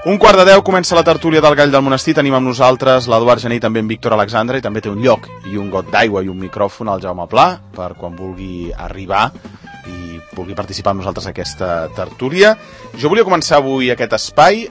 1:15 comença la tertúlia del Gall del Monestir. Tenim amb nosaltres l'Eduard Gené i també en Víctor Alexandre, i també té un lloc i un got d'aigua i un micròfon al Jaume Pla per quan vulgui arribar i vulgui participar amb nosaltres aquesta tertúlia. Jo volia començar avui aquest espai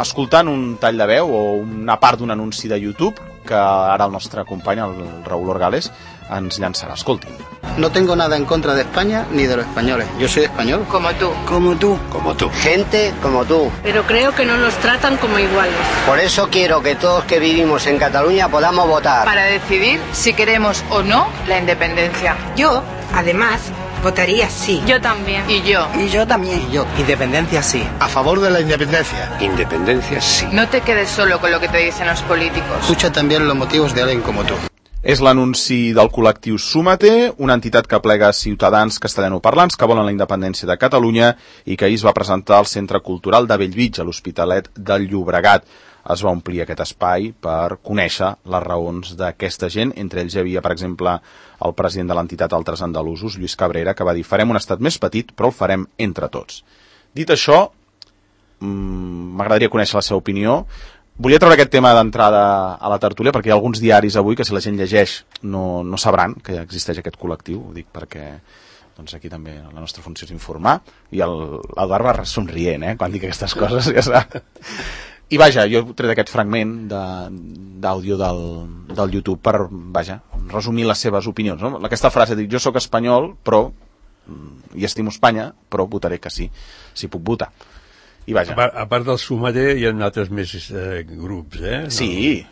escoltant un tall de veu o una part d'un anunci de YouTube que ara el nostre company, el Raúl Orgales, ens llançarà. Escoltin. No tengo nada en contra de España ni de los españoles. Yo soy español. Como tú. Como tú. Como tú. Gente como tú. Pero creo que no nos tratan como iguales. Por eso quiero que todos que vivimos en Cataluña podamos votar. Para decidir si queremos o no la independencia. Yo, además, votaría sí. Yo también. Y yo. Y yo también. Y yo. Independencia sí. A favor de la independencia. Independencia sí. No te quedes solo con lo que te dicen los políticos. Escucha también los motivos de alguien como tú. És l'anunci del col·lectiu Súmate, una entitat que plega ciutadans castellanoparlants que volen la independència de Catalunya i que ahir es va presentar al Centre Cultural de Bellvitge, a l'Hospitalet del Llobregat. Es va omplir aquest espai per conèixer les raons d'aquesta gent. Entre ells hi havia, per exemple, el president de l'entitat Altres Andalusos, Lluís Cabrera, que va dir: farem un estat més petit, però el farem entre tots. Dit això, m'agradaria conèixer la seva opinió. Volia treure aquest tema d'entrada a la tertúlia perquè hi ha alguns diaris avui que, si la gent llegeix, no sabran que existeix aquest col·lectiu. Ho dic perquè doncs aquí també la nostra funció és informar, i l'Eduard va somrient quan dic aquestes coses. Ja i vaja, jo he tret aquest fragment d'àudio del YouTube per, vaja, resumir les seves opinions, no? Aquesta frase, dic: jo sóc espanyol, però i estimo Espanya, però votaré que sí, si puc votar. I vaja. A part del Súmate hi ha altres més grups, Sí.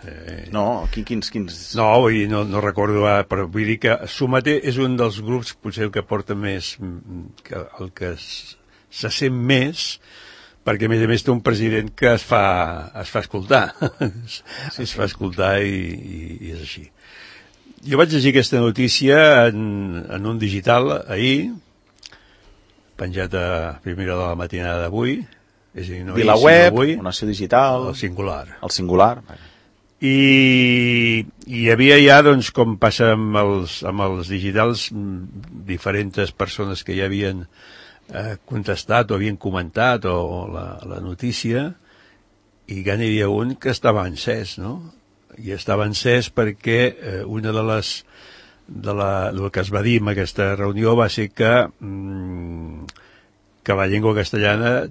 No, quins? No, no recordo, però vull dir que Súmate és un dels grups potser el que porta més, el que se sent més, perquè a més té un president que es fa escoltar. Sí. Es fa escoltar i és així. Jo vaig llegir aquesta notícia en un digital ahir, penjat a primera de la matinada d'avui. És a dir, no VilaWeb, Nació Digital, el Singular. I hi havia ja, doncs, com passa amb els digitals, diferents persones que ja havien contestat o havien comentat la notícia, i ja n'hi havia un que estava encès, no? I estava encès perquè una el que es va dir en aquesta reunió va ser que la llengua castellana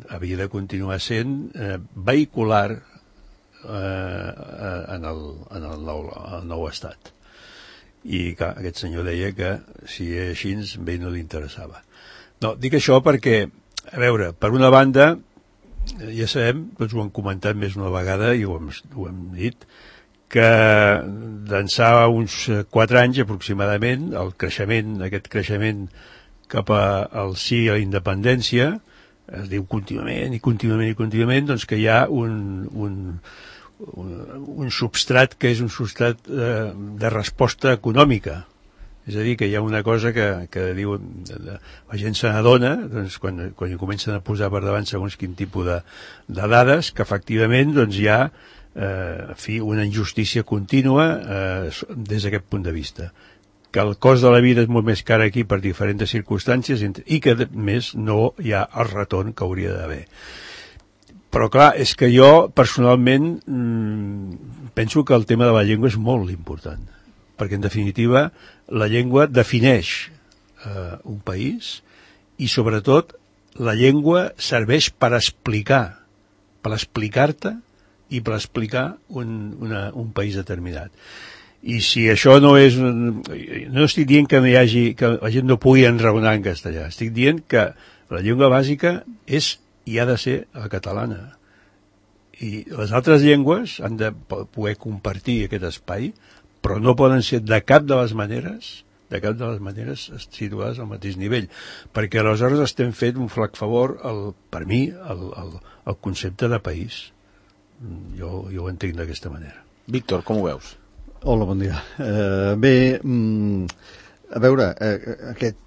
havia de continuar sent vehicular en el nou estat. I clar, aquest senyor deia que si era així, a ell no li interessava. No, dic això perquè, a veure, per una banda, ja sabem, tots ho hem comentat més una vegada i ho hem dit, que d'ençà uns 4 anys aproximadament, aquest creixement cap al sí a la independència, es diu contínuament, doncs que hi ha un substrat que és un substrat de resposta econòmica. És a dir, que hi ha una cosa que diu, la gent se n'adona, doncs, quan hi comencen a posar per davant segons quin tipus de dades, que efectivament doncs, hi ha una injustícia contínua des d'aquest punt de vista, que el cost de la vida és molt més car aquí per diferents circumstàncies i que, a més, no hi ha el retorn que hauria d'haver. Però, clar, és que jo, personalment, penso que el tema de la llengua és molt important, perquè, en definitiva, la llengua defineix un país i, sobretot, la llengua serveix per explicar, per explicar-te i per explicar un país determinat. I si això no és... No estic dient que la gent no pugui enraonar en castellà. Estic dient que la llengua bàsica és i ha de ser la catalana. I les altres llengües han de poder compartir aquest espai, però no poden ser de cap de les maneres situades al mateix nivell. Perquè aleshores estem fent un flac favor, per mi, al concepte de país. Jo ho entenc d'aquesta manera. Víctor, com ho veus? Hola, bon dia. Bé, a veure,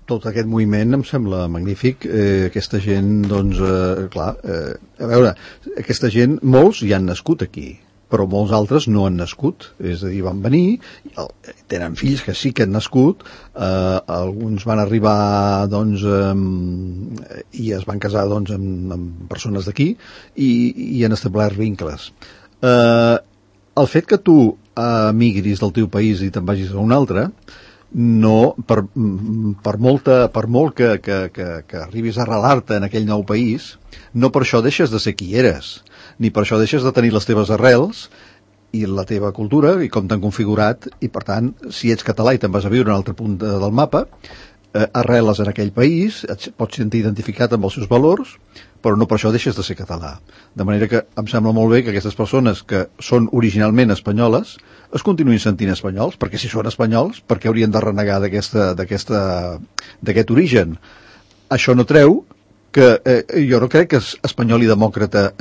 tot aquest moviment em sembla magnífic. Aquesta gent, doncs, clar, a veure, aquesta gent, molts hi han nascut aquí, però molts altres no han nascut, és a dir, van venir, tenen fills que sí que han nascut, alguns van arribar doncs, i es van casar doncs, amb persones d'aquí i han establert vincles. El fet que tu emigris del teu país i te'n vagis a un altre, no, per molt que arribis a arrelar-te en aquell nou país, no per això deixes de ser qui eres, ni per això deixes de tenir les teves arrels i la teva cultura i com t'han configurat, i per tant, si ets català i te'n vas a viure a un altre punt del mapa, arreles en aquell país, et pots sentir identificat amb els seus valors, però no per això deixes de ser català. De manera que em sembla molt bé que aquestes persones que són originalment espanyoles es continuïn sentint espanyols, perquè si són espanyols, per què haurien de renegar d'aquest origen? Això no treu que jo no crec que espanyol i demòcrata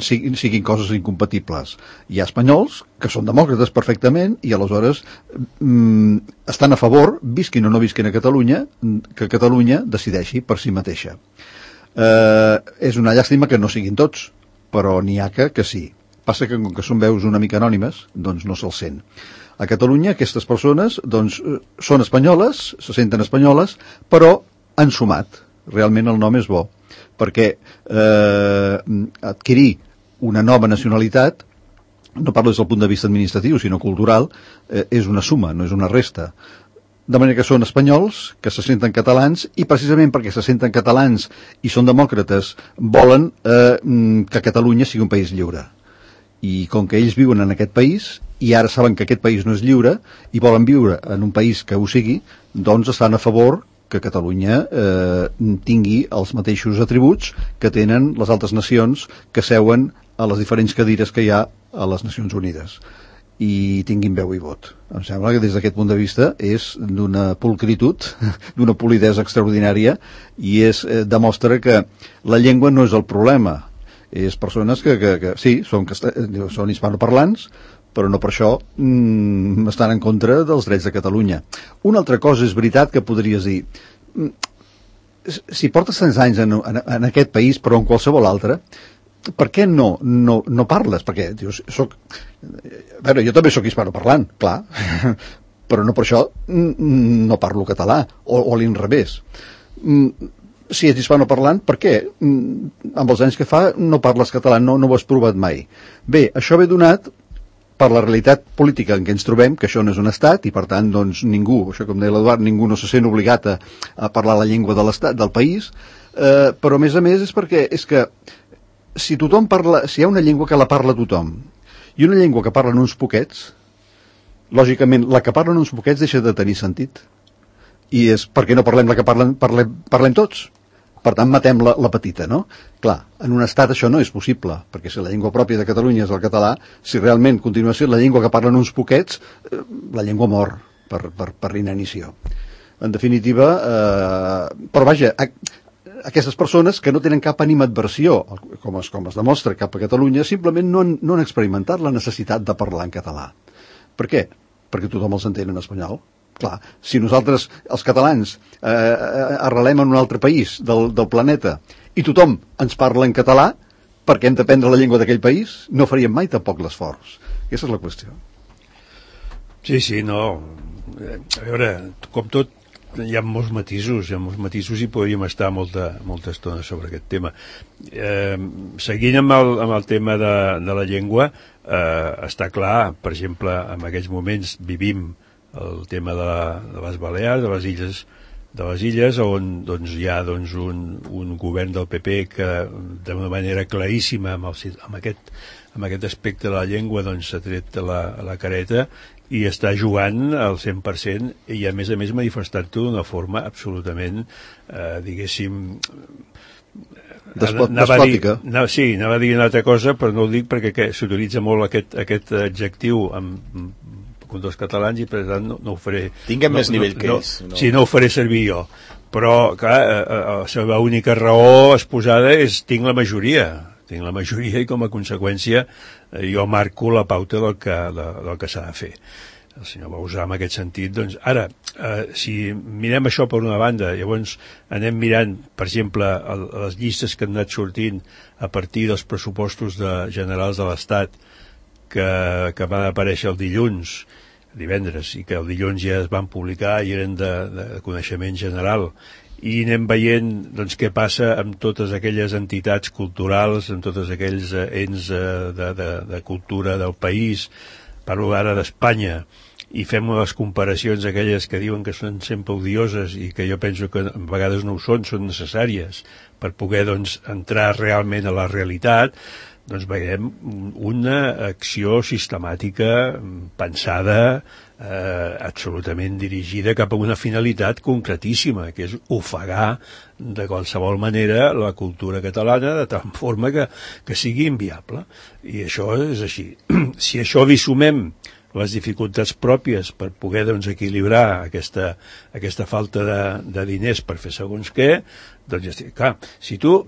siguin coses incompatibles. Hi ha espanyols que són demòcrates perfectament i aleshores estan a favor, visquin o no visquin a Catalunya, que Catalunya decideixi per si mateixa. És una llàstima que no siguin tots, però n'hi ha que sí. Passa que com que són veus una mica anònimes, doncs no se'ls sent. A Catalunya aquestes persones doncs, són espanyoles, se senten espanyoles, però han sumat. Realment el nom és bo, perquè adquirir una nova nacionalitat, no parlo des del punt de vista administratiu, sinó cultural, és una suma, no és una resta. De manera que són espanyols, que se senten catalans, i precisament perquè se senten catalans i són demòcrates, volen que Catalunya sigui un país lliure. I com que ells viuen en aquest país, i ara saben que aquest país no és lliure, i volen viure en un país que ho sigui, doncs estan a favor que Catalunya tingui els mateixos atributs que tenen les altres nacions que seuen a les diferents cadires que hi ha a les Nacions Unides i tinguin veu i vot. Em sembla que des d'aquest punt de vista és d'una pulcritud, d'una polidesa extraordinària, i demostra que la llengua no és el problema. És persones que sí, són hispanoparlants, però no per això estan en contra dels drets de Catalunya. Una altra cosa és veritat que podries dir, si portes tants anys en aquest país, però en qualsevol altre, per què no parles? Perquè dius, jo també sóc hispanoparlant, clar, però no per això no parlo català, o l'inrevés. Si ets hispanoparlant, per què amb els anys que fa no parles català, no ho has provat mai? Bé, això ve donat per la realitat política en què ens trobem, que això no és un estat, i per tant, doncs, ningú, això com deia l'Eduard, ningú no se sent obligat a parlar la llengua de l'estat, del país, però a més és perquè és que si tothom parla, si hi ha una llengua que la parla tothom, i una llengua que parlen uns poquets, lògicament, la que parlen uns poquets deixa de tenir sentit. I és perquè no parlem la que parlem tots. Per tant, matem la petita, no? Clar, en un estat això no és possible, perquè si la llengua pròpia de Catalunya és el català, si realment continua sent la llengua que parlen uns poquets, la llengua mor per inanició. En definitiva, però vaja, aquestes persones que no tenen cap animadversió, com es demostra cap a Catalunya, simplement no han experimentat la necessitat de parlar en català. Per què? Perquè tothom els entén en espanyol. Clar, si nosaltres, els catalans, arrelem en un altre país del planeta i tothom ens parla en català, perquè hem d'aprendre la llengua d'aquell país, no faríem mai tampoc l'esforç. Aquesta és la qüestió. Sí, no. A veure, com tot, hi ha molts matisos i podríem estar molta estona sobre aquest tema. Seguint amb el tema de la llengua, està clar, per exemple, en aquests moments vivim el tema de les Balears, de les illes on doncs, hi ha doncs, un govern del PP que d'una manera claríssima amb aquest aspecte de la llengua doncs, s'ha tret la careta i està jugant al 100% i a més manifestant-ho d'una forma absolutament diguéssim despòtica. Sí, anava a dir una altra cosa, però no ho dic perquè s'utilitza molt aquest adjectiu amb dels catalans i per tant no ho faré. Tinguem més nivell que ells. Sí, no ho faré servir jo. Però, clar, la seva única raó exposada és tinc la majoria i com a conseqüència jo marco la pauta del que s'ha de fer. El senyor Bauzá en aquest sentit, doncs, ara, si mirem això per una banda, llavors anem mirant, per exemple, les llistes que han anat sortint a partir dels pressupostos generals de l'Estat, que van aparèixer el divendres, i que el dilluns ja es van publicar i eren de coneixement general, i anem veient doncs, què passa amb totes aquelles entitats culturals, amb tots aquells ens de cultura del país, parlo ara d'Espanya, i fem les comparacions aquelles que diuen que són sempre odioses i que jo penso que a vegades no ho són necessàries per poder doncs, entrar realment a la realitat, doncs veiem una acció sistemàtica pensada, absolutament dirigida cap a una finalitat concretíssima, que és ofegar de qualsevol manera la cultura catalana de tal forma que sigui inviable. I això és així. Si això li sumem les dificultats pròpies per poder doncs, equilibrar aquesta falta de diners per fer segons què, doncs ja estic. Clar, si tu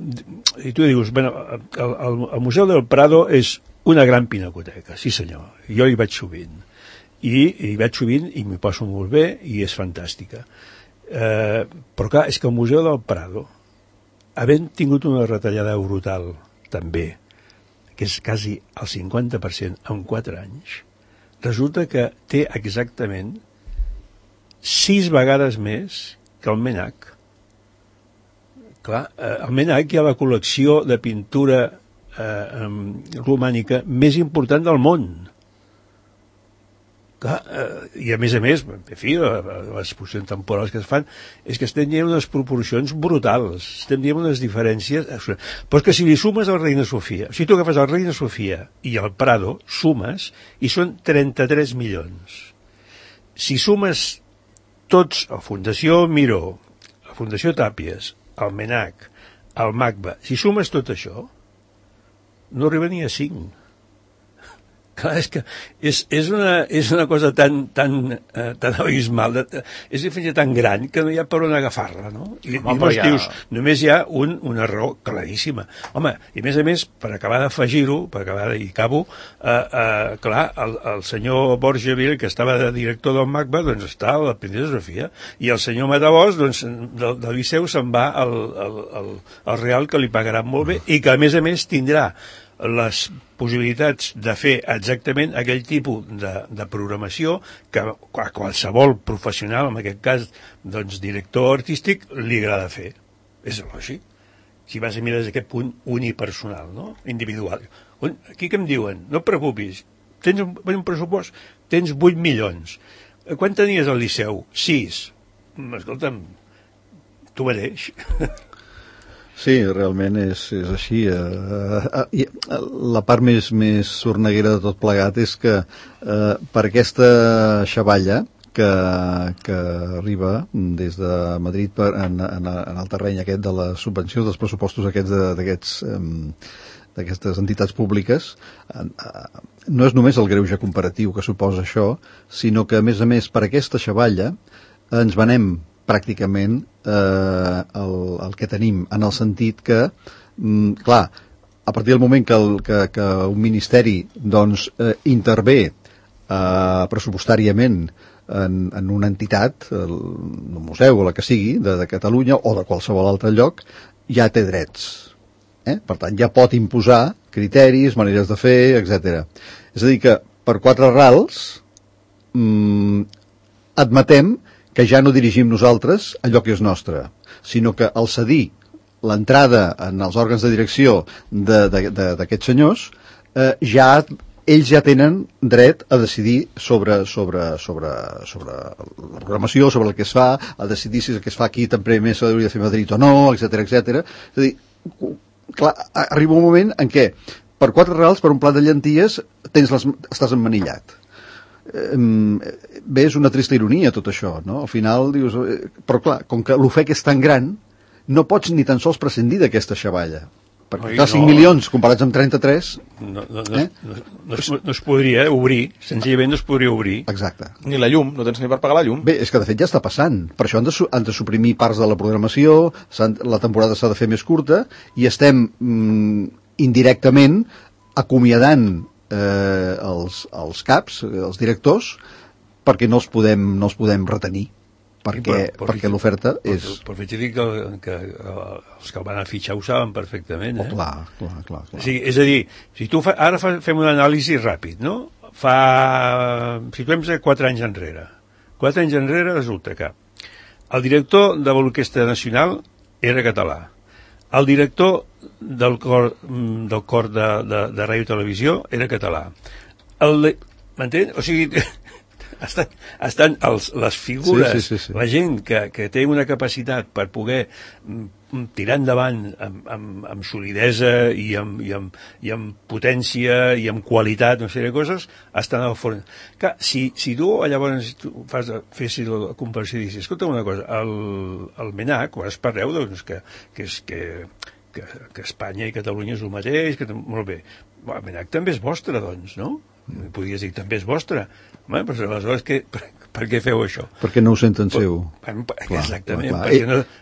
dius, bueno, el Museu del Prado és una gran pinacoteca, sí senyor, jo hi vaig sovint, i vaig sovint i m'hi passo molt bé i és fantàstica. Però clar, és que el Museu del Prado, havent tingut una retallada brutal també, que és quasi el 50% en 4 anys, resulta que té exactament 6 vegades més que el MNAC. Clar, al MNAC hi ha la col·lecció de pintura romànica més important del món. Clar, i a més, en fi, les exposicions temporals que es fan és que estem dient unes proporcions brutals, estem dient unes diferències, però és que si li sumes al Reina Sofia, si tu agafes el Reina Sofia i el Prado, sumes, i són 33 milions. Si sumes tots, la Fundació Miró, la Fundació Tàpies, el MNAC, el MACBA, si sumes tot això, no arriba ni a 5. Clar, és que és una cosa tan abismal, és fins tan gran que no hi ha per on agafar-la, no? I dius, només hi ha una raó claríssima. Home, i a més, per acabar d'afegir-ho, i acabo, clar, el senyor Borgeville, que estava de director del MACBA, doncs està a la Princesa Sofia, i el senyor Matabós, doncs, del Liceu se'n va al Real, que li pagaran molt bé, i que a més tindrà les possibilitats de fer exactament aquell tipus de programació que a qualsevol professional, en aquest cas doncs director artístic, li agrada fer. És lògic. Si vas a mirar des d'aquest punt unipersonal, no? Individual. Aquí què em diuen? No et preocupis, tens un pressupost, tens 8 milions. Quan tenies al Liceu? 6. Escolta'm, tu mereix. Sí, realment és així. La part més sorneguera de tot plegat és que per aquesta xavalla que arriba des de Madrid en el terreny aquest de la subvenció dels pressupostos d'aquestes entitats públiques, no és només el greuge comparatiu que suposa això, sinó que a més per aquesta xavalla ens venem pràcticament el que tenim, en el sentit que, clar, a partir del moment que un ministeri doncs, intervé pressupostàriament en una entitat, un museu o la que sigui, de Catalunya o de qualsevol altre lloc, ja té drets. Per tant, ja pot imposar criteris, maneres de fer, etc. És a dir, que per 4 rals admetem que ja no dirigim nosaltres allò que és nostre, sinó que al cedir l'entrada en els òrgans de direcció d'aquests senyors, ells ja tenen dret a decidir sobre la programació, sobre el que es fa, a decidir si el que es fa aquí també més s'hauria de fer a Madrid o no, etc. És a dir, clar, arriba un moment en què per 4 rals, per un plat de llenties, estàs emmanillat. Bé, és una trista ironia tot això, no? Al final dius, però clar, com que l'ofec és tan gran, no pots ni tan sols prescindir d'aquesta xavalla, perquè clar, 5 milions comparats amb 33 no es podria obrir, senzillament no es podria obrir. Exacte. Ni la llum, no tens ni per pagar la llum. Bé, és que de fet ja està passant, per això han de suprimir parts de la programació, la temporada s'ha de fer més curta, i estem indirectament acomiadant els caps, els directors, perquè no els podem retenir. perquè l'oferta és... Però vaig dir que els que el van a fitxar ho saben perfectament, eh? Clar. O sigui, és a dir, si tu ara fem una anàlisi ràpid, no? Situem-se 4 anys enrere. 4 anys enrere resulta que el director de l'Orquestra Nacional era català. El director del cor de Ràdio i Televisió era català. M'entén? O sigui, estan les figures, sí. la gent que té una capacitat per poder tirar endavant amb solidesa i amb potència i amb qualitat, una sèrie de coses, estan al forn. Clar, si tu llavors fessis la comparació i dius, escolta una cosa, el MENAC, quan es parleu, doncs, que Espanya i Catalunya és el mateix, molt bé, el MENAC també és vostre, doncs, no? Podries dir, també és vostre. Home, però aleshores, per què feu això? Perquè no ho senten seu. Exactament,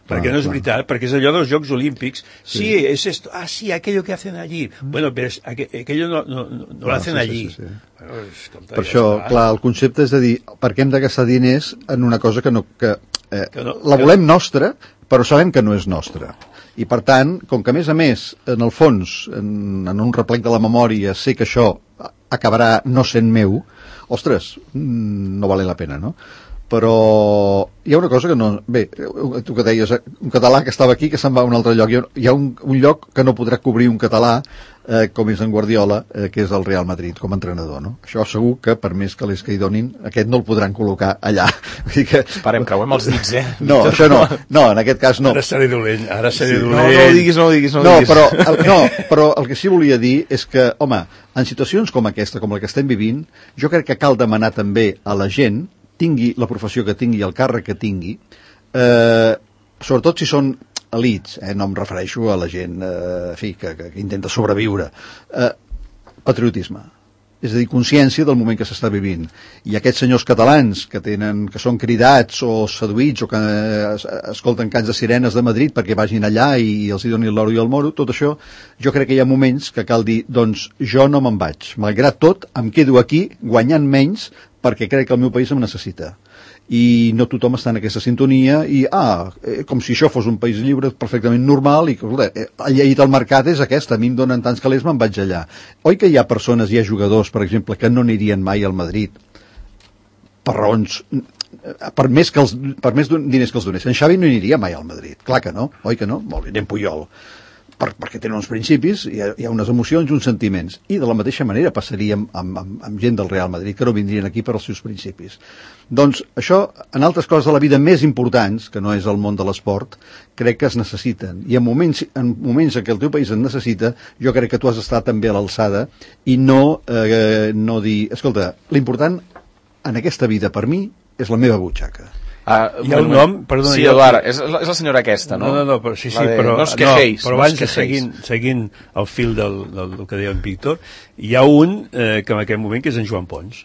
perquè no és veritat, perquè és allò dels Jocs Olímpics. Sí, es esto. Ah, sí, aquello que hacen allí. Bueno, pero aquello no lo hacen allí. Sí. Bueno, escolta, per això, clar, el concepte és de dir, per què hem de gastar diners en una cosa que la volem nostra, però sabem que no és nostra. I per tant, com que a més, en el fons, en un replec de la memòria, sé que això acabarà no sent meu, ostres, no vale la pena, no? Però hi ha una cosa que no... Bé, tu que deies, un català que estava aquí, que se'n va a un altre lloc. Hi ha un lloc que no podrà cobrir un català, com és en Guardiola, que és el Real Madrid, com a entrenador, no? Això segur que, per més que li donin, aquest no el podran col·locar allà. Vull dir que... Esperem, creuem els dits, eh? No, això no. No, en aquest cas no. Ara seré dolent, No ho diguis. Però el que sí volia dir és que, home, en situacions com aquesta, com la que estem vivint, jo crec que cal demanar també a la gent, tingui la professió que tingui, el càrrec que tingui, sobretot si són elits, no em refereixo a la gent que intenta sobreviure, patriotisme, és a dir, consciència del moment que s'està vivint. I aquests senyors catalans que són cridats o seduïts o que escolten cants de sirenes de Madrid perquè vagin allà i els hi donin l'oro i el moro, tot això, jo crec que hi ha moments que cal dir, doncs jo no me'n vaig, malgrat tot em quedo aquí guanyant menys perquè crec que el meu país em necessita. I no tothom està en aquesta sintonia i, com si això fos un país lliure perfectament normal i, escolta, la llei del mercat és aquesta, a mi em donen tants calés, me'n vaig allà. Oi que hi ha persones, hi ha jugadors, per exemple, que no anirien mai al Madrid per raons... per més diners que els donessin. En Xavi no aniria mai al Madrid, clar que no, oi que no? Molt bé, anem Puyol. Perquè tenen uns principis, hi ha unes emocions i uns sentiments. I de la mateixa manera passaria amb gent del Real Madrid, que no vindrien aquí per als seus principis. Doncs això, en altres coses de la vida més importants, que no és el món de l'esport, crec que es necessiten. I en moments en què el teu país en necessita, jo crec que tu has d'estar també a l'alçada i no dir, escolta, l'important en aquesta vida per mi és la meva butxaca. Hi ha un nom, perdona... Sí, Eduard, és la senyora aquesta, no? No, però sí, però... No us queixeis. Però abans, seguint el fil del que deia en Víctor, hi ha un que en aquell moment que és en Joan Pons.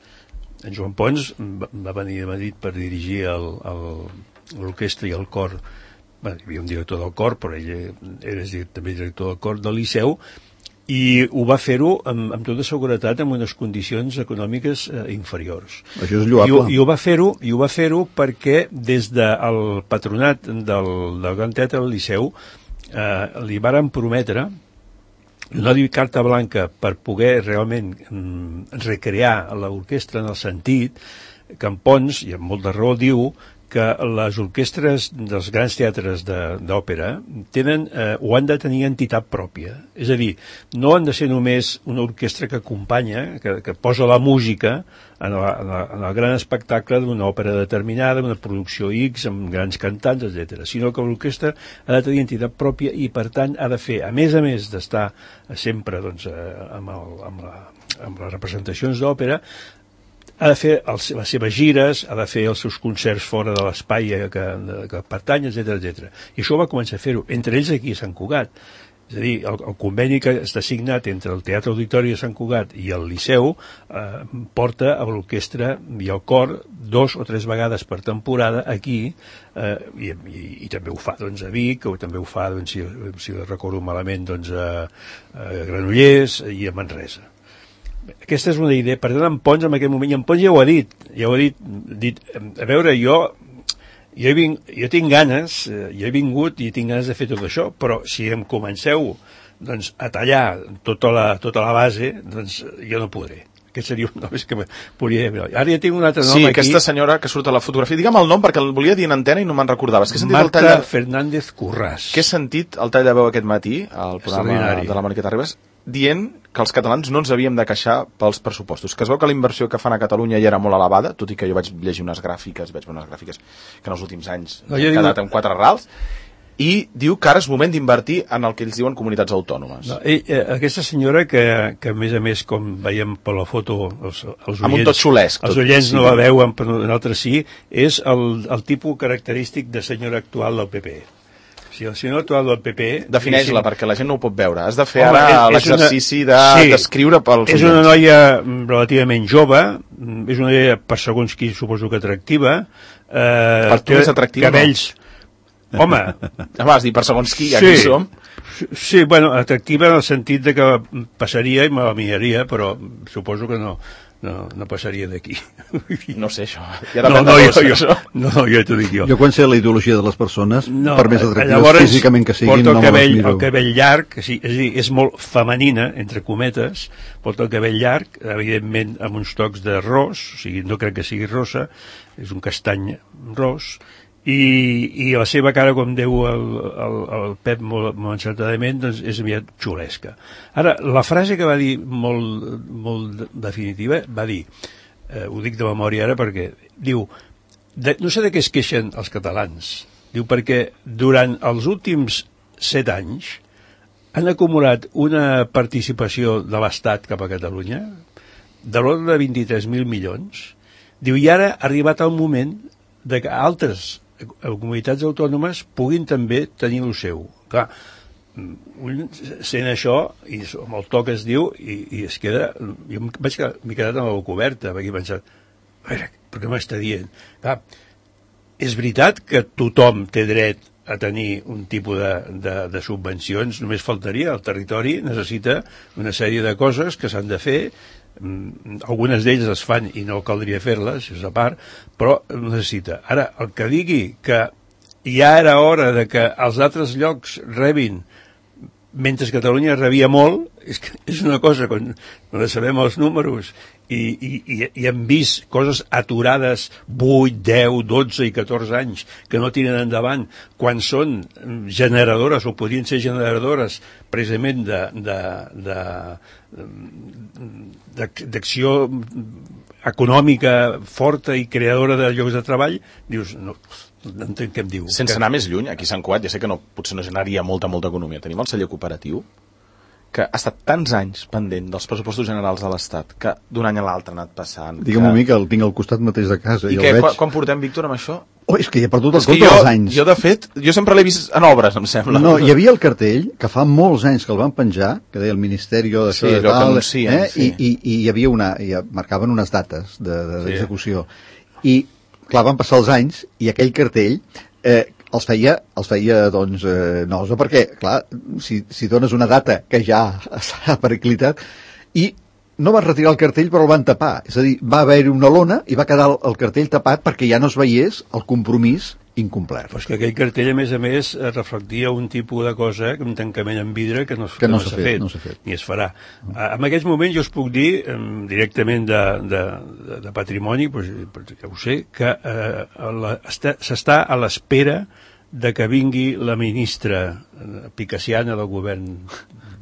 En Joan Pons va venir a Madrid per dirigir l'orquestra i el cor. Bé, hi havia un director del cor, però ell era també director del cor del Liceu, i ho va fer-ho amb tota seguretat en unes condicions econòmiques inferiors. Això és lloable. I ho va fer-ho perquè des del patronat del Gran Teatre del Liceu li varen prometre donar-li carta blanca per poder realment recrear l'orquestra en el sentit que en Pons, i amb molta raó, diu que les orquestres dels grans teatres d'òpera o han de tenir entitat pròpia. És a dir, no han de ser només una orquestra que acompanya, que posa la música en el gran espectacle d'una òpera determinada, una producció X, amb grans cantants, etc. Sinó que l'orquestra ha de tenir entitat pròpia i, per tant, ha de fer, a més d'estar sempre amb les representacions d'òpera, ha de fer les seves gires, ha de fer els seus concerts fora de l'espai que pertany, etc. I això va començar a fer-ho, entre ells aquí a Sant Cugat. És a dir, el conveni que està signat entre el Teatre Auditori de Sant Cugat i el Liceu porta a l'orquestra i el cor 2 o 3 vegades per temporada aquí, i també ho fa a Vic, o també ho fa, si recordo malament, a Granollers i a Manresa. Aquesta és una idea. Per tant, en Pons en aquell moment, i en Pons ja ho ha dit, a veure, jo jo tinc ganes, jo he vingut i tinc ganes de fer tot això, però si em comenceu doncs, a tallar tota la base, doncs jo no podré. Aquest seria un nom que podria dir. Ara ja tinc un altre nom aquí. Sí, aquesta senyora que surt a la fotografia. Digue'm el nom perquè el volia dir en antena i no me'n recordava. Marta Fernández Curràs. Que he sentit el tall de veu aquest matí al programa de la Moniqueta Ribas dient que els catalans no ens havíem de queixar pels pressupostos, que es veu que la inversió que fan a Catalunya ja era molt elevada, tot i que jo vaig llegir unes gràfiques, que en els últims anys han quedat en 4 rals, i diu que ara és moment d'invertir en el que ells diuen comunitats autònomes. No, aquesta senyora que a més, com veiem per la foto, els amb un tot xulesc. Els oients no la veuen, però nosaltres sí, és el tipus característic de senyora actual del PP. Si el senyor actual del PP... Defineix-la, perquè la gent no ho pot veure. Has de fer ara l'exercici d'escriure pels oients. És una noia relativament jove, és una noia, per segons qui, suposo que atractiva. Per tu és atractiva, cabells... No? Home... Vas dir per segons qui, aquí som. Sí, bueno, atractiva en el sentit de que passaria i me la miraria, però suposo que no passaria d'aquí. No sé, això. Ja jo t'ho dic jo. Jo quan sé la ideologia de les persones, per més atractives físicament que siguin, no me les miro. El cabell llarg, és a dir, és molt femenina, entre cometes, porta el cabell llarg, evidentment amb uns tocs de ros, o sigui, no crec que sigui rosa, és un castany ros, i la seva cara, com diu el Pep molt encertadament, doncs és aviat xulesca. Ara, la frase que va dir molt definitiva, va dir, ho dic de memòria ara perquè diu, no sé de què es queixen els catalans, diu perquè durant els últims 7 anys han acumulat una participació de l'Estat cap a Catalunya de l'ordre de 23.000 milions, diu, i ara ha arribat el moment de que altres comunitats autònomes puguin també tenir el seu. Clar, sent això, i amb el to que es diu, i es queda... Jo m'he quedat amb la boca oberta, perquè he pensat, a veure, per què m'està dient? Clar, és veritat que tothom té dret a tenir un tipus de subvencions, només faltaria, el territori necessita una sèrie de coses que s'han de fer, algunes d'elles es fan i no caldria fer-les, és a part, però necessita. Ara, el que digui que ja era hora de que els altres llocs rebin, mentre Catalunya rebia molt, és una cosa, quan sabem els números i hem vist coses aturades 8, 10, 12 i 14 anys que no tiren endavant, quan són generadores o podrien ser generadores precisament d'acció econòmica forta i creadora de llocs de treball, dius, no entenc què em diu. Sense anar més lluny, aquí a Sant Cugat, ja sé que potser no generaria molta economia. Tenim el celler cooperatiu, que ha estat tants anys pendent dels pressupostos generals de l'Estat, que d'un any a l'altre ha anat passant. Digue'm a mi que el tinc al costat mateix de casa. I què, quan portem, Víctor, amb això? Oh, és que ja he perdut el compte dels anys. Jo, de fet, sempre l'he vist en obres, em sembla. No, hi havia el cartell, que fa molts anys que el van penjar, que deia el Ministeri d'això de tal, i hi havia marcaven unes dates d'execució. I, clar, van passar els anys, i aquell cartell els feia doncs, nosa, perquè, clar, si dones una data que ja s'ha periclitat, i no van retirar el cartell però el van tapar, és a dir, va haver-hi una lona i va quedar el cartell tapat perquè ja no es veiés el compromís incomplert. Però és que aquell cartell, a més, reflectia un tipus de cosa, un tancament en vidre que no s'ha fet, ni es farà. En aquests moments jo us puc dir, directament de patrimoni, ja ho sé, que s'està a l'espera de que vingui la ministra picassiana del govern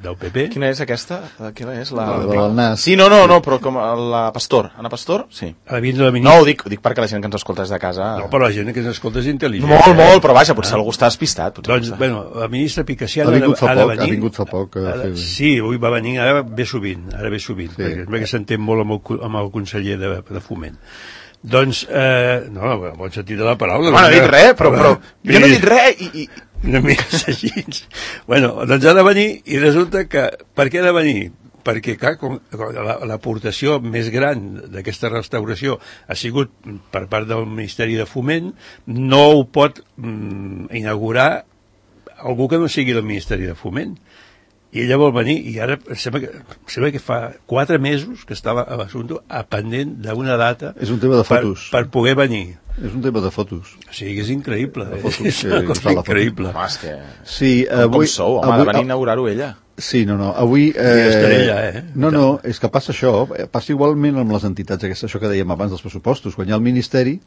del PP. Quina és aquesta? Quina és? La del nas. Sí, no, però com la Pastor. Anna Pastor? Sí. La ministra... No, ho dic perquè la gent que ens escolta des de casa... No, però la gent que ens escolta és intel·ligent. Molt, però vaja, potser algú està despistat. Doncs, bueno, la ministra picassiana ha vingut fa poc. Sí, avui va venir, ara ve sovint, perquè s'entén molt amb el conseller de Foment. Doncs, no, bon sentit de la paraula. No he dit res, però jo no he dit res i... Una mica així. Bueno, doncs ha de venir i resulta que... Per què ha de venir? Perquè, clar, l'aportació més gran d'aquesta restauració ha sigut per part del Ministeri de Foment, no ho pot inaugurar algú que no sigui del Ministeri de Foment. I ella vol venir, i ara sembla que fa 4 mesos que estava a l'assumpte pendent d'una data és un tema de fotos. Per poder venir. És un tema de fotos. Sí, és increïble. És una cosa increïble. Home, és que... Sí, com sou, home, de venir a inaugurar-ho ella. Sí, avui... estaré allà, No, és que passa això, passa igualment amb les entitats aquestes, això que dèiem abans dels pressupostos, quan hi ha el Ministeri,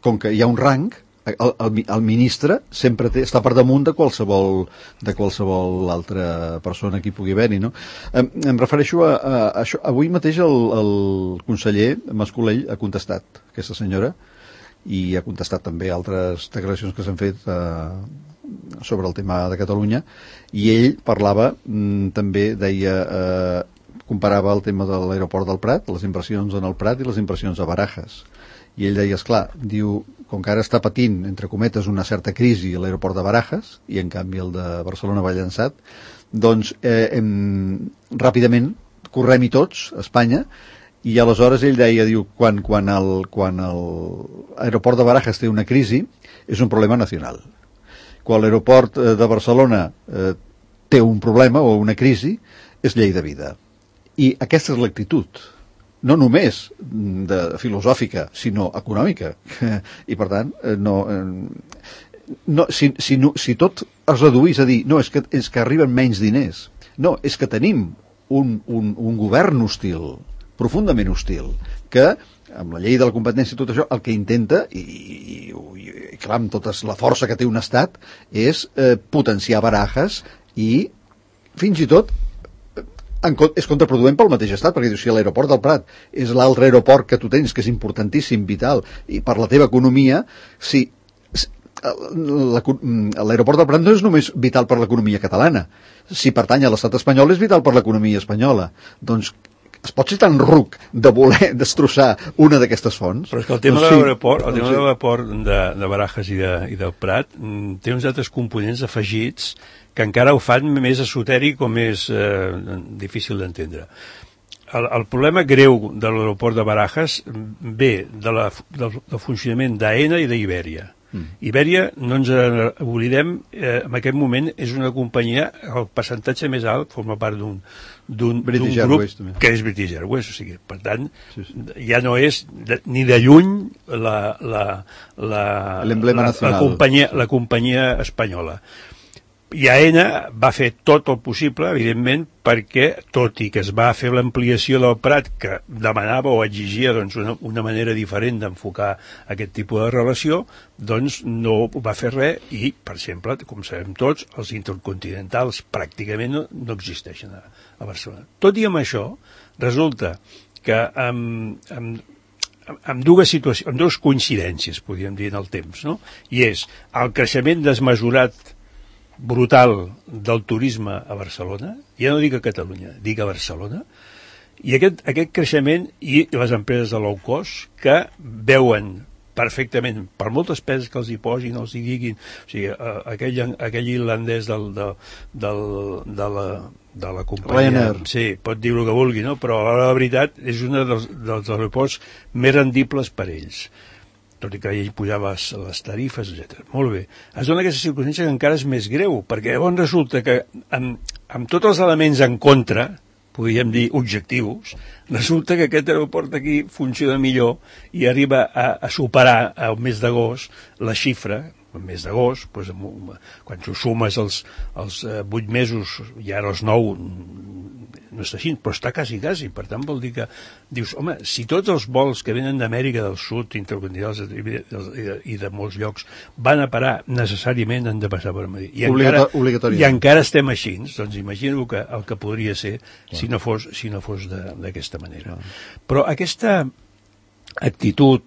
com que hi ha un rang, el ministre sempre està per damunt de qualsevol altra persona que hi pugui haver-hi, no? Em refereixo a això. Avui mateix el conseller Mas-Colell ha contestat aquesta senyora i ha contestat també altres declaracions que s'han fet sobre el tema de Catalunya, i ell parlava, també deia, comparava el tema de l'aeroport del Prat, les inversions en el Prat i les inversions a Barajas. I ell deia, esclar, diu, com que ara està patint, entre cometes, una certa crisi a l'aeroport de Barajas, i en canvi el de Barcelona va llançat, doncs ràpidament correm-hi tots a Espanya, i aleshores ell deia, diu, quan l'aeroport de Barajas té una crisi, és un problema nacional. Quan l'aeroport de Barcelona té un problema o una crisi, és llei de vida. I aquesta és l'actitud, no només filosòfica, sinó econòmica. I per tant, si tot es reduís a dir no, és que arriben menys diners, no, és que tenim un govern hostil, profundament hostil, que amb la llei de la competència i tot això, el que intenta, i clar, amb tota la força que té un estat, és potenciar Barajas i fins i tot és contraproduent pel mateix estat, perquè si l'aeroport del Prat és l'altre aeroport que tu tens, que és importantíssim, vital, i per la teva economia, si l'aeroport del Prat no és només vital per l'economia catalana, si pertany a l'estat espanyol és vital per l'economia espanyola, doncs es pot ser tan ruc de voler destrossar una d'aquestes fonts? Però és que el tema de l'aeroport de Barajas i del Prat té uns altres components afegits que encara ho fan més esotèric o més difícil d'entendre. El problema greu de l'aeroport de Barajas ve del funcionament d'AENA i d'Ibèria. Ibèria, no ens oblidem, en aquest moment és una companyia, el percentatge més alt forma part d'un grup que és British Airways, o sigui, per tant, ja no és ni de lluny la companyia espanyola. I AENA va fer tot el possible, evidentment, perquè, tot i que es va fer l'ampliació del Prat, que demanava o exigia doncs, una manera diferent d'enfocar aquest tipus de relació, doncs no va fer res i, per exemple, com sabem tots, els intercontinentals pràcticament no existeixen a Barcelona. Tot i amb això, resulta que amb dues coincidències, podríem dir, en el temps, no? I és el creixement desmesurat brutal del turisme a Barcelona, ja no dic a Catalunya, dic a Barcelona, i aquest creixement i les empreses de low cost que veuen perfectament, per moltes peces que els hi posin, els hi diguin, o sigui, aquell irlandès de la companyia, sí, pot dir el que vulgui, no? Però la veritat és un dels aeroports més rendibles per ells, tot i que ell pujava les tarifes, etc. Molt bé. Es dona aquesta circumstància que encara és més greu, perquè llavors resulta que amb tots els elements en contra, podríem dir objectius, resulta que aquest aeroport aquí funciona millor i arriba a superar al mes d'agost la xifra, al mes d'agost, doncs, quan ho sumes els 8 mesos i ara els 9, no està així, però està quasi. Per tant, vol dir que dius, home, si tots els vols que venen d'Amèrica del Sud, intercontinentals i de molts llocs, van a parar necessàriament, han de passar per Madrid. I encara estem així, doncs imagino el que podria ser si no fos d'aquesta manera. Però aquesta actitud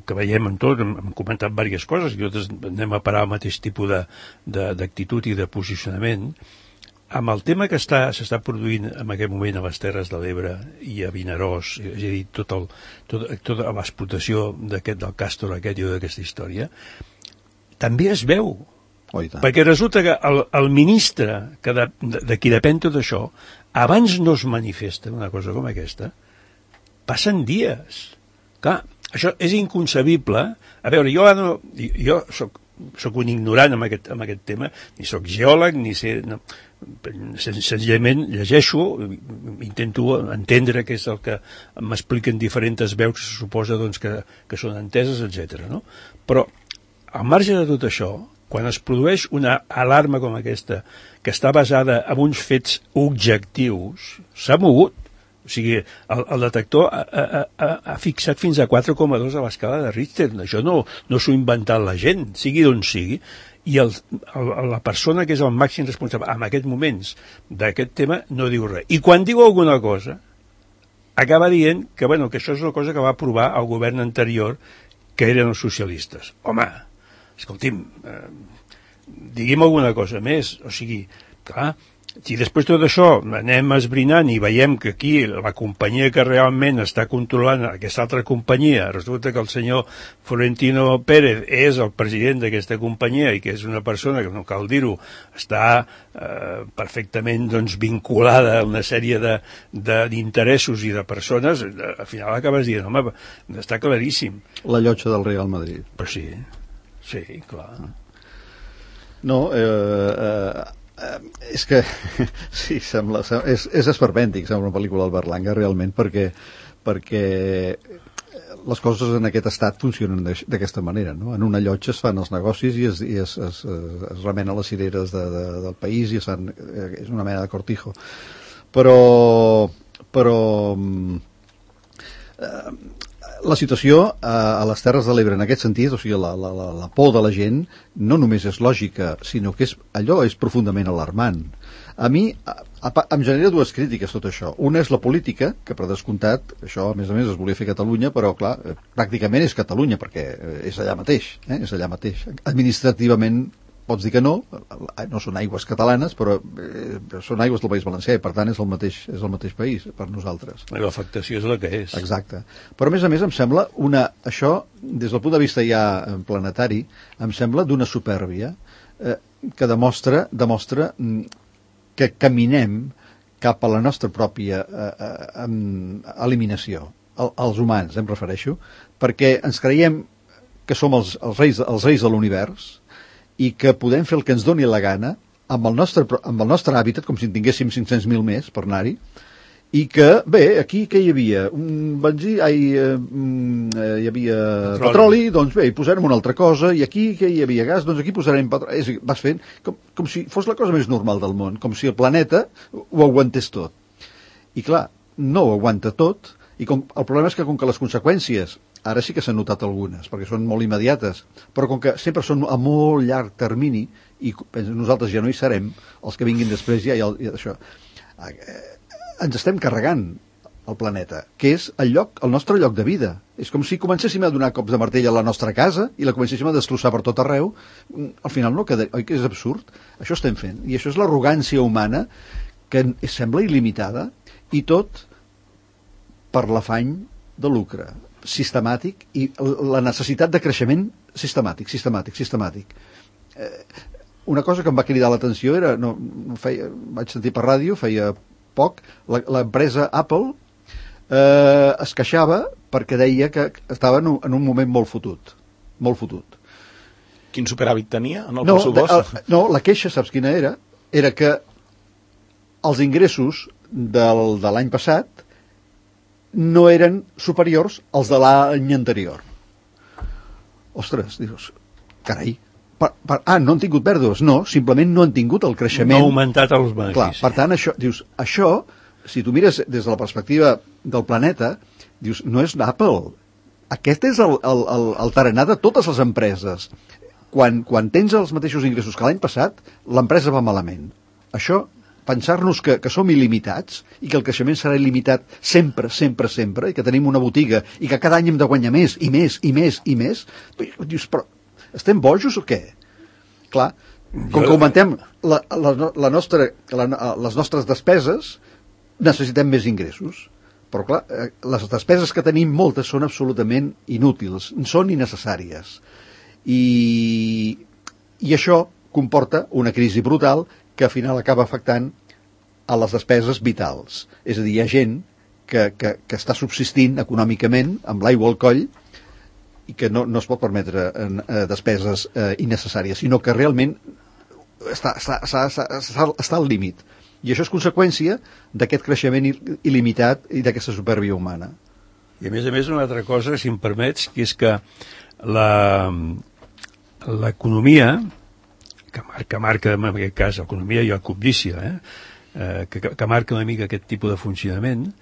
que veiem en tot, hem comentat diverses coses, i nosaltres anem a parar al mateix tipus d'actitud i de posicionament, amb el tema que s'està produint en aquest moment a les Terres de l'Ebre i a Vinaròs, és a dir, tota l'explotació del càstor aquest i d'aquesta història, també es veu. Perquè resulta que el ministre de qui depèn tot això, abans no es manifesta una cosa com aquesta, passen dies. Clar, això és inconcebible. A veure, jo soc sóc un ignorant amb aquest tema, ni sóc geòleg, ni sé... No, senzillament llegeixo, intento entendre què és el que m'expliquen diferents veus que se suposa doncs, que són enteses, etc. No? Però, al marge de tot això, quan es produeix una alarma com aquesta, que està basada en uns fets objectius, s'ha mogut. O sigui, el detector ha fixat fins a 4,2 a l'escala de Richter. Això no s'ho ha inventat la gent, sigui d'on sigui. I la persona que és el màxim responsable en aquests moments d'aquest tema no diu res. I quan diu alguna cosa, acaba dient que, bueno, que això és una cosa que va aprovar el govern anterior, que eren els socialistes. Home, escolti'm, digui'm alguna cosa més. O sigui, clar, si després tot això anem esbrinant i veiem que aquí la companyia que realment està controlant aquesta altra companyia, resulta que el senyor Florentino Pérez és el president d'aquesta companyia i que és una persona que, no cal dir-ho, està perfectament doncs, vinculada a una sèrie d'interessos i de persones, al final acabes dient, home, està claríssim. La llotja del Real Madrid. Però sí, clar. No, és que sí, és esperpèntic, sembla una pel·lícula del Berlanga realment, perquè les coses en aquest estat funcionen d'aquesta manera, no? En una llotja es fan els negocis i es remenen les cireres del país i és una mena de cortijo, però la situació a les Terres de l'Ebre en aquest sentit, o sigui, la por de la gent no només és lògica, sinó que allò és profundament alarmant. A mi em genera dues crítiques tot això. Una és la política, que per descomptat, això a més es volia fer a Catalunya, però clar, pràcticament és Catalunya, perquè és allà mateix, és allà mateix. Administrativament pots dir que no són aigües catalanes, però són aigües del País Valencià i per tant és el mateix país per nosaltres. L'afectació és la que és. Exacte. Però a més em sembla això, des del punt de vista ja planetari, em sembla d'una supèrbia que demostra que caminem cap a la nostra pròpia eliminació. Els humans, em refereixo, perquè ens creiem que som els reis de l'univers i que podem fer el que ens doni la gana amb el nostre hàbitat, com si en tinguéssim 500.000 més per anar-hi, i que, bé, aquí què hi havia? Hi havia petroli, doncs bé, hi posarem una altra cosa, i aquí què hi havia gas, doncs aquí posarem petroli. Vas fent com si fos la cosa més normal del món, com si el planeta ho aguantés tot. I clar, no ho aguanta tot, i el problema és que com que les conseqüències ara sí que s'han notat algunes, perquè són molt immediates, però com que sempre són a molt llarg termini, i nosaltres ja no hi serem, els que vinguin després ja això, ens estem carregant el planeta, que és el nostre lloc de vida. És com si comencéssim a donar cops de martell a la nostra casa i la comencéssim a destrossar per tot arreu. Al final no queda, oi que és absurd? Això estem fent, i això és l'arrogància humana que sembla il·limitada, i tot per l'afany de lucre sistemàtic i la necessitat de creixement sistemàtic. Una cosa que em va cridar l'atenció era, vaig sentir per ràdio, feia poc, l'empresa Apple es queixava perquè deia que estava en un moment molt fotut. Quin superàvit tenia en el pressupost? No, la queixa, saps quina era? Era que els ingressos de l'any passat no eren superiors als de l'any anterior. Ostres, dius, carai, no han tingut pèrdues? No, simplement no han tingut el creixement. No ha augmentat els beneficis. Clar, per tant, això, si tu mires des de la perspectiva del planeta, dius, no és Apple. Aquest és el tarannà de totes les empreses. Quan tens els mateixos ingressos que l'any passat, l'empresa va malament. Això, pensar-nos que som il·limitats i que el creixement serà il·limitat sempre, i que tenim una botiga i que cada any hem de guanyar més i més, dius, però estem bojos o què? Clar, com que augmentem les nostres despeses, necessitem més ingressos. Però clar, les despeses que tenim moltes són absolutament inútils, són innecessàries. I això comporta una crisi brutal que al final acaba afectant a les despeses vitals. És a dir, hi ha gent que està subsistint econòmicament amb l'aigua al coll i que no es pot permetre despeses innecessàries, sinó que realment està al límit. I això és conseqüència d'aquest creixement il·limitat i d'aquesta supèrbia humana. I a més, una altra cosa, si em permets, que és que l'economia, que marca en aquest cas l'economia i la cobdícia, que marca una mica aquest tipus de funcionament,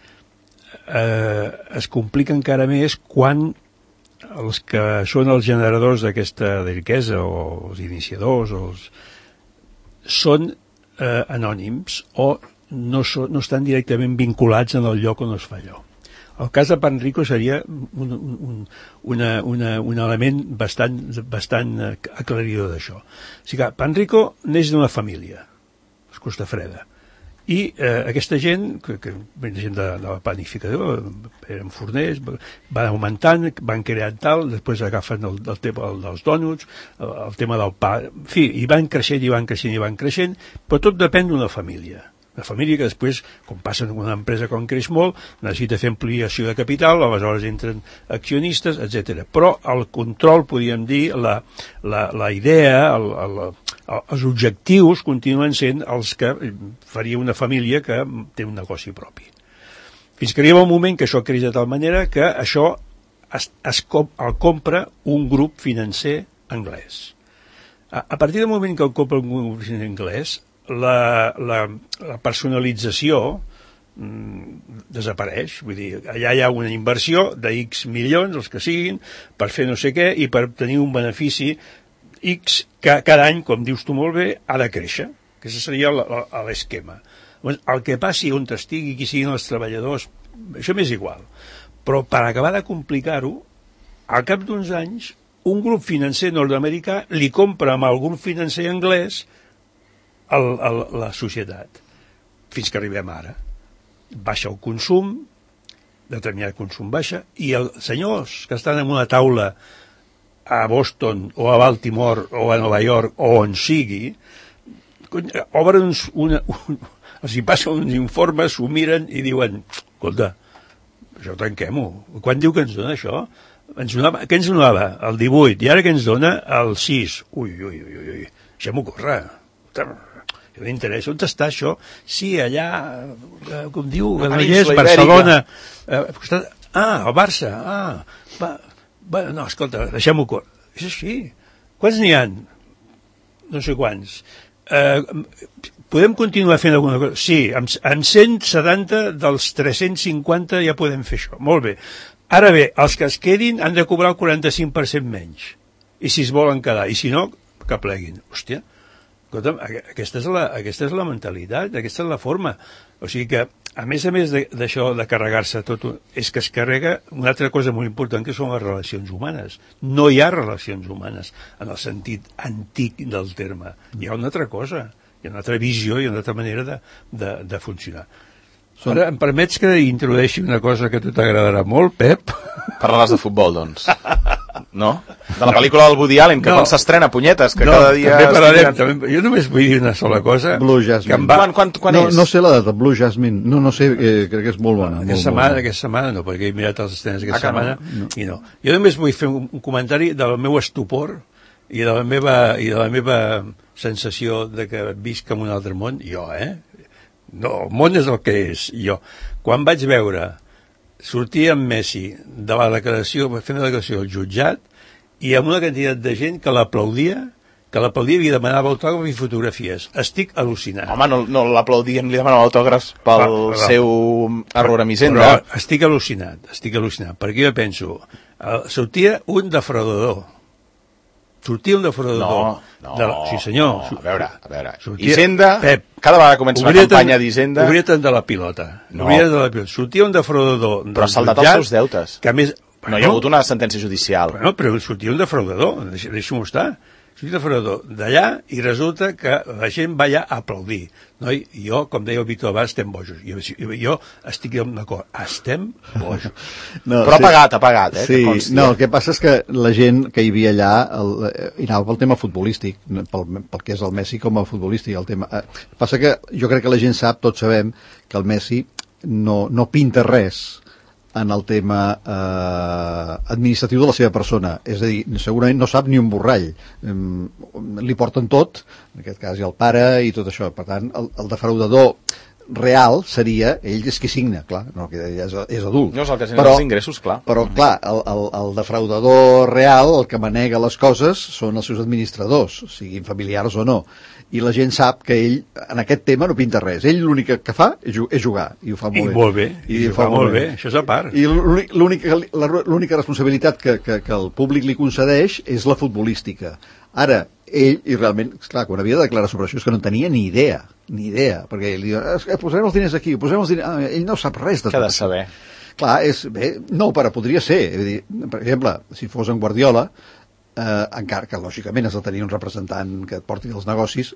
es complica encara més quan els que són els generadors d'aquesta riquesa o els iniciadors són anònims o no estan directament vinculats en el lloc on es fa allò. El cas de Panrico seria un element bastant aclaridor d'això. O sigui que Panrico neix d'una família, es Costa Freda, i aquesta gent, que gent de la panificadora, eren forners, van augmentant, van creant tal, després agafen el tema dels dònuts, el tema del pa, en fi, i van creixent, però tot depèn d'una família. Una família que després, com passa en una empresa quan creix molt, necessita fer ampliació de capital, aleshores entren accionistes, etc. Però el control, podríem dir, la idea, els objectius continuen sent els que faria una família que té un negoci propi. Fins que arriba un moment que això creix de tal manera que això el compra un grup financer anglès. A partir del moment que el compra un grup financer anglès, la personalització desapareix, vull dir, allà hi ha una inversió de X milions, els que siguin, per fer no sé què i per tenir un benefici X que cada any, com dius tu molt bé, ha de créixer, que això seria l'esquema. El que passi on estigui, qui siguin els treballadors, això m'és igual, però per acabar de complicar-ho, al cap d'uns anys un grup financer nord-americà li compra amb el grup financer anglès la societat, fins que arribem ara. Baixa el consum, determinat consum baixa, i els senyors que estan en una taula a Boston o a Baltimore o a Nova York o on sigui, obren els hi passen uns informes, s'ho miren i diuen, escolta, això tanquem-ho. Quan diu que ens dona això? Què ens donava? El 18, i ara què ens dona? El 6. Ui, deixem-ho córrer. No m'interessa, on està això? Sí, allà, com diu, Granollers, Barcelona. El Barça. No, escolta, deixem-ho córrer. És així. Quants n'hi ha? No sé quants. Podem continuar fent alguna cosa? Sí, amb 170 dels 350 ja podem fer això. Molt bé. Ara bé, els que es quedin han de cobrar el 45% menys. I si es volen quedar. I si no, que pleguin. Hòstia, escolta'm, aquesta és la mentalitat, aquesta és la forma. O sigui que, a més d'això de carregar-se tot, és que es carrega una altra cosa molt important, que són les relacions humanes. No hi ha relacions humanes en el sentit antic del terme. Hi ha una altra cosa, hi ha una altra visió i una altra manera de funcionar. Ara, em permets que introdueixi una cosa que a tu t'agradarà molt, Pep? Parlaràs de futbol, doncs. No? De la pel·lícula del Woody Allen, que quan s'estrena, punyetes, que cada dia... També parlarem, jo només vull dir una sola cosa. Blue Jasmine. Quan és? No sé la data, Blue Jasmine. No sé, crec que és molt bona. Aquesta setmana no, perquè he mirat els estrenes aquesta setmana i no. Jo només vull fer un comentari del meu estupor i de la meva sensació de que visc en un altre món, jo, No, el món és el que és, jo. Quan vaig veure sortir en Messi de la declaració, fent la declaració al jutjat, i amb una quantitat de gent que l'aplaudia i demanava autògrafs i fotografies. Estic al·lucinant. Home, no l'aplaudien, li demanava autògrafs pel seu error a Misenda. Però estic al·lucinat, perquè jo penso, sortia un defraudador. No. Sí, senyor. A veure. Hisenda, Pep, cada vegada comença una campanya d'Hisenda... Obria tant de la pilota. Sortia un defraudador... Però ha saldat els seus deutes. Que a més... No hi ha hagut una sentència judicial. Però sortia un defraudador, deixa'm estar. Sortia un defraudador d'allà i resulta que la gent va allà a aplaudir. Noi, jo, com deia el Víctor Abad, estem bojos. Jo estic d'acord, estem bojos. No, però ha pagat, Sí, el que passa és que la gent que hi havia allà hi anava pel tema futbolístic, pel que és el Messi com a futbolístic. Passa que jo crec que la gent sap, tots sabem, que el Messi no pinta res en el tema administratiu de la seva persona, és a dir, segurament no sap ni un borrall, li porten tot, en aquest cas hi ha el pare i tot això, per tant el defraudador real seria, ell és qui signa, clar, no, que ja és adult. No és el que genera els ingressos, clar. Però, clar, el defraudador real, el que manega les coses, són els seus administradors, siguin familiars o no. I la gent sap que ell, en aquest tema, no pinta res. Ell l'únic que fa és jugar, i ho fa molt bé. I ho fa molt bé, això és a part. I l'única responsabilitat que el públic li concedeix és la futbolística. Ara, ell, i realment, clar, quan havia de declarar sobre això és que no tenia ni idea, perquè ell diu, posarem els diners aquí, posarem els diners... ell no sap res de tot. Què ha de saber? Clar, no, però podria ser. Dir, per exemple, si fos en Guardiola, encara que lògicament has de tenir un representant que et porti els negocis,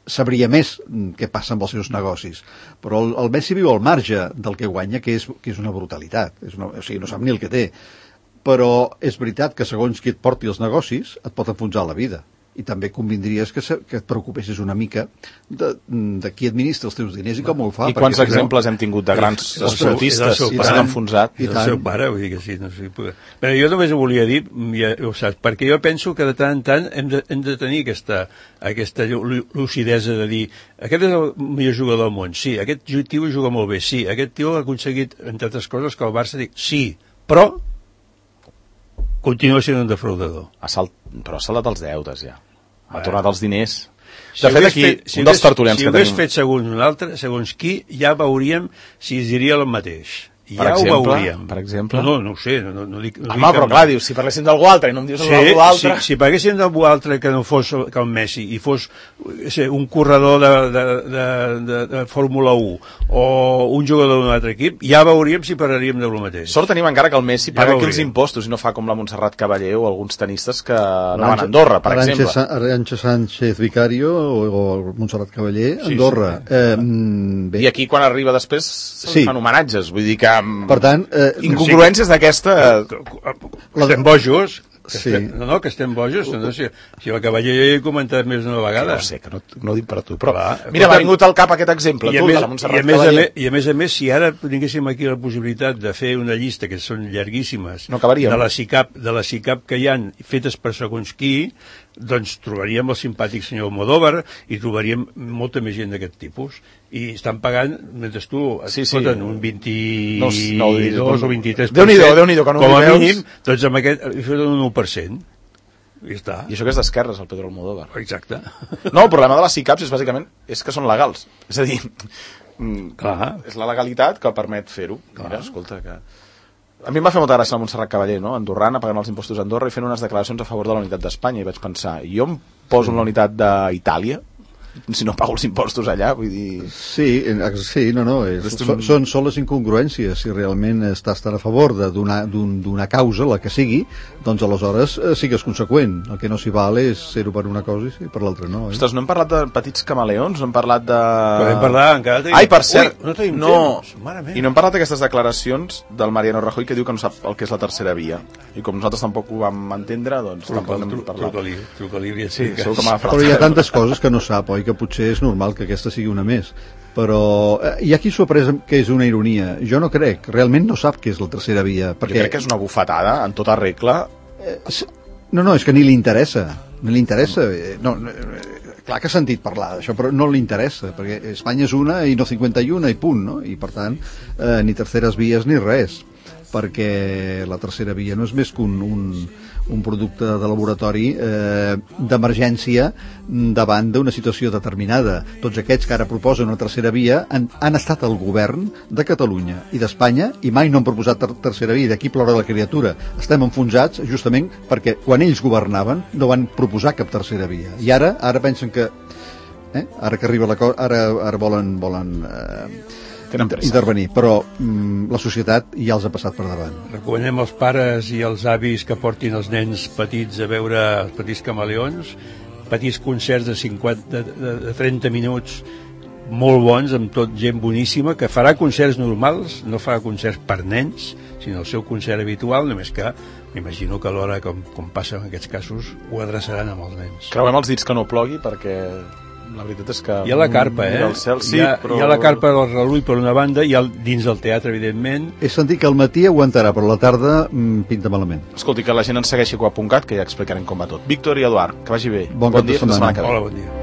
sabria més què passa amb els seus negocis, però el Messi viu al marge del que guanya, que és una brutalitat, o sigui, no sap ni el que té, però és veritat que segons qui et porti els negocis et pot enfonsar la vida, i també convindries que et preocupessis una mica de qui administra els teus diners i com ho fa. I quants exemples hem tingut de grans esportistes que s'han enfonsat? És el seu pare, vull dir que sí. No sé, però jo només ho volia dir, ja ho saps, perquè jo penso que de tant en tant hem de tenir aquesta lucidesa de dir, aquest és el millor jugador del món, sí, aquest tio juga molt bé, sí, aquest tio ha aconseguit, entre altres coses, que el Barça digui, sí, però continua sent un defraudador. Però ha saldat els deutes, ja. Ha tornat els diners. De fet, aquí, un dels tertulians que tenim... Si ho hagués fet segons un altre, segons qui, ja veuríem si es diria el mateix. Per exemple? No ho sé. No dic, home, però clar, dius, si parléssim d'algú altre i no em dius d'algú altre... Si parléssim d'algú altre que no fos que el Messi i fos un corredor de Fórmula 1 o un jugador d'un altre equip, ja veuríem si parlaríem del mateix. Sort tenim encara que el Messi paga aquí els impostos i no fa com la Montserrat Caballé o alguns tenistes que anaven a Andorra, per exemple. Arantxa Sánchez Vicario o Montserrat Caballé, Andorra. I aquí quan arriba després fan homenatges, vull dir que per tant, incongruències d'aquesta... Estem bojos. Sí. Que estem bojos. Si la Cavaller ja he comentat més d'una vegada. Sí, que no ho dic per tu, però... Mira, m'ha vingut al cap aquest exemple, de la Montserrat Caballé. I a més, si ara tinguéssim aquí la possibilitat de fer una llista, que són llarguíssimes, de la SICAP que hi ha fetes per segons qui, doncs trobaríem el simpàtic senyor Almodóvar i trobaríem molta més gent d'aquest tipus. I estan pagant, mentre tu foten un 22 o 23%, Déu-n'hi-do, que no com a mínim, doncs amb aquest hi foten un 1%. I està. I això que és d'esquerres, el Pedro Almodóvar. Exacte. No, el problema de les SICAPs és bàsicament que són legals. És a dir, és la legalitat que permet fer-ho. Mira, escolta, que... A mi em va fer molta gràcia la Montserrat Caballé, no? Andorrana, pagant els impostos a Andorra i fent unes declaracions a favor de la unitat d'Espanya. I vaig pensar, jo em poso en la unitat d'Itàlia si no pago els impostos allà, vull dir... Sí, són les incongruències. Si realment estàs tan a favor d'una causa, la que sigui, doncs aleshores sigues conseqüent. El que no s'hi val és ser-ho per una cosa i per l'altra no. Ostres, no hem parlat de petits camaleons, no hem parlat de... Podem parlar, encara tenim... Ai, per cert, no tenim temps. I no hem parlat d'aquestes declaracions del Mariano Rajoy que diu que no sap el que és la tercera via. I com nosaltres tampoc ho vam entendre, doncs tampoc n'hem parlat. Truca-li. Sí, segur que m'ha però hi ha tantes coses que no sap, oi? Que potser és normal que aquesta sigui una més, però hi ha qui s'ho ha pres que és una ironia. Jo no crec, realment no sap què és la tercera via, perquè... Jo crec que és una bufetada en tota regla. No, és que ni li interessa. Clar que ha sentit parlar d'això, però no li interessa, perquè Espanya és una i no 51 i punt, no? I per tant ni terceres vies ni res, perquè la tercera via no és més que un producte de laboratori d'emergència davant d'una situació determinada. Tots aquests que ara proposen una tercera via han estat al govern de Catalunya i d'Espanya i mai no han proposat tercera via. D'aquí plora la criatura. Estem enfonsats justament perquè quan ells governaven no van proposar cap tercera via. I ara pensen que ara que arriba la cosa, ara volen intervenir, però la societat ja els ha passat per davant. Recomanem als pares i als avis que portin els nens petits a veure els petits camaleons, petits concerts de 30 minuts molt bons, amb tot gent boníssima, que farà concerts normals, no farà concerts per nens, sinó el seu concert habitual, només que m'imagino que alhora, com passa en aquests casos, ho adreçaran amb els nens. Creuem els dits que no plogui, perquè la veritat és que... Hi ha la carpa, El cel, sí, hi ha la carpa del Relull per una banda i dins del teatre, evidentment. He sentit que al matí aguantarà, però a la tarda pinta malament. Escolti, que la gent ens segueixi a Coa.cat, que ja explicarem com va tot. Víctor i Eduard, que vagi bé. Bon cap de setmana. Que ve. Hola, bon dia.